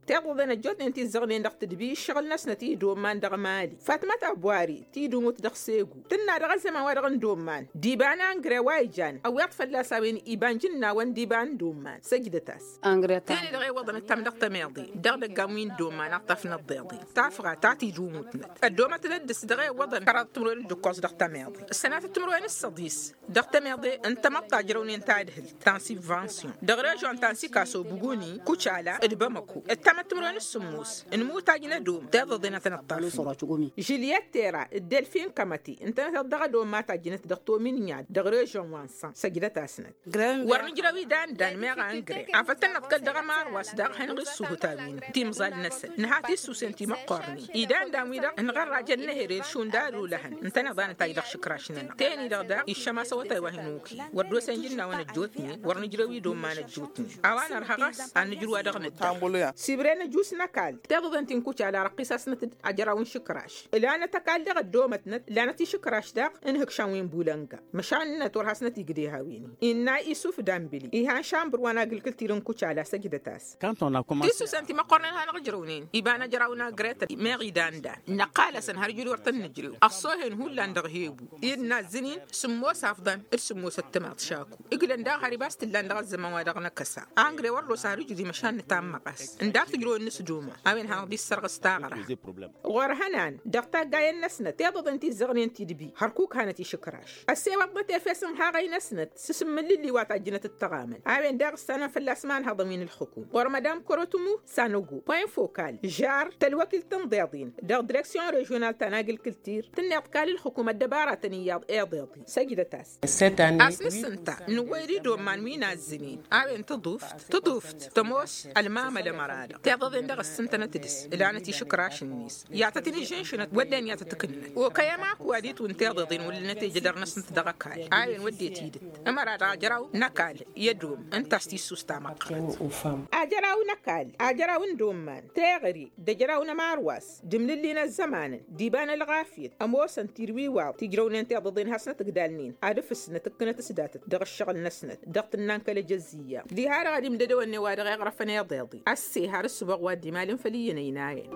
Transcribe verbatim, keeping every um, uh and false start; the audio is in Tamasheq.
Tiḍeḍen ăjjootnen ti ǝzzăɣnen dăɣ-tǝdbi ǝššăɣǝl-năsnăt i-dd-omman dăɣ-mali fatma tabwari tidumut dăɣ-segu tǝnna dăɣ-ăzzăman wa dăɣ-n dd-omman d-iba n-angrăy wa ijan ăwweḍ fălla-s a-wen iba n-jǝnnawăn d-iba n-dd-omman săjdăt-as. Tene-dăɣ iwwăḍăn ǝttam dăɣ-tămeḍe dăɣ-idăggan wi n-dd-omman a t-tafnăḍ deḍe tafɣa ta tidumutnăt ăddoomătnăt dăɣ-s dăɣ-iwwăḍăn kăraḍ timǝrwen d-ǝkkoẓ dăɣ-tămeḍe ǝssănatăt timǝrwen s-săḍis. Dăɣ-tămeḍe n-tamăḍt ta ǝjrăwnen tadhǝlt ta n-sibvansiyon dăɣ-režon ta n-sikaso buguni kucala d-bamăko ǝttamăt timǝrwen s-sǝmmos n-imutaj n-ădom tiḍăḍen a tăn-ăṭṭafnen. Žiliyăt tera d-delfin kămăti ǝntănăt dăɣ-ădom ma tajjǝnăt dăɣ-tominyad dăɣ-režon wa n-săn săjdăt-asnăt. Wăr nǝjrăw idandan meɣ angre afăl tăn-năḍkăl dăɣ-ămarwas daɣ hanăɣ-issuhǝt a-wen timẓal-năsăn nǝha tissusen timăqqornen idandan-wi-dăɣ ǝnɣărrajăn n-ehere šund ad-ulăhăn ǝntăneḍ a nǝtaj dăɣ-išǝkraš-nănăɣ teni-dăɣ daɣ iššăm asăwătay wa hin-uki wăr dd-osen jǝnnawăn ăjjootnen wăr nǝjrăw idomman ăjjootnen a-wa nărhăɣ a-s ad-nǝjrǝw wa dăɣ-nǝdda. Sibren ăjuss n-ăkall tiḍăḍen ti n-kucala răqqis-asnăt-dd ajăraw n-išǝkraš ǝlanăt ăkall dăɣ-ăddoomătnăt lanăt išǝkraš daɣ ǝnhǝkšan wi n-bulănga măšan-năt wăr hasnăt-igdeh a-wen-in innă isuf dambili ihan šambăr wa n-agǝlkǝltir n-kucala săjdăt-as. Tissusen ti măqqornen hanăɣ-ǝjrăwnen iba n-ajăraw n-agretăn meɣ idandan năqqal-asăn har ǝjrǝw wăr tăn-nǝjrew ăṣṣohen hullan dăɣ-hebu innă ăzzǝnin sǝmmos afḍăn d-sǝmmos ăttămaḍ šaku ǝglăn daɣ har ibas t-ǝllan dăɣ-ăzzăman wa dăɣ-năkăsa angre wăr dd-osa har ǝjrǝw măšan nǝtammăɣ-as ǝnda a-s tǝjrăw ǝnnǝs d-uma a-wen hanăɣ-dd-issărɣǝs taɣra. Ɣur-hănan dăɣ-taggayen-năsnăt tiḍăḍen ti ǝzzăɣnen tidbi hărkuk hanăt-išǝkraš ăssewăḍnăt efes n-haɣăy-năsnăt s-asǝmmǝllǝlli wa tajjǝnăt d-tăɣamăn a-wen daɣ ǝssanăn fălla-s imanhăḍăn wi n-ălxǝkum ɣur-madam korotumu sanogo poyǝn fokal žar tălwăkilt n-iḍeḍen dăɣ-direksyon režional ta n-agǝlkǝltir tǝnneḍ kal ǝlxǝkum ăddăbaratăn iyyăḍ iḍeḍen săjdăt-as. A-s nǝssǝnta nǝwwăy-dd i-dd-omman wi n-azzǝnen a-wen tǝḍuft tǝḍuft tămoos ălmamăl ămăra-dăɣ tiḍeḍen dăɣ-ăssǝntănăt dăɣ-s ǝlanăt išǝkraš-net i-ad-tăt-in-ǝžžǝnšǝnăt wădden i-ad-tăt-ǝkǝnnăt okăy ămak wa d-itwǝn tiḍeḍen wăllănăt ejădăr-năsnăt dăɣ-ăkall a-wen wădden tidǝt ămăra-dăɣ ajăraw n-ăkall i-ădom ǝnta a-s tissust tamăqqărt. Ajăraw n-ăkall ajăraw n-dd-omman teɣăre d-ajăraw n-ămarwas d-imlǝlli n-ăzzămanăn d-iba n-ălɣafyăt ămoosăn tirwiwaḍ tijrăwnen tiḍăḍen hasnăt ǝgdalnen ad-ǝfǝsnăt ǝkkǝnăt s-datăt dăɣ-ǝššăɣǝl-năsnăt dăɣ-tǝnna n-kăl-ejăzziyya diha-dăɣ ad-imdădăwăn i-wa-dăɣ iɣrăfăn iḍeḍe ăsse har ǝssǝboɣ wa dd-imalăn făll-iyyăn ăynayăn.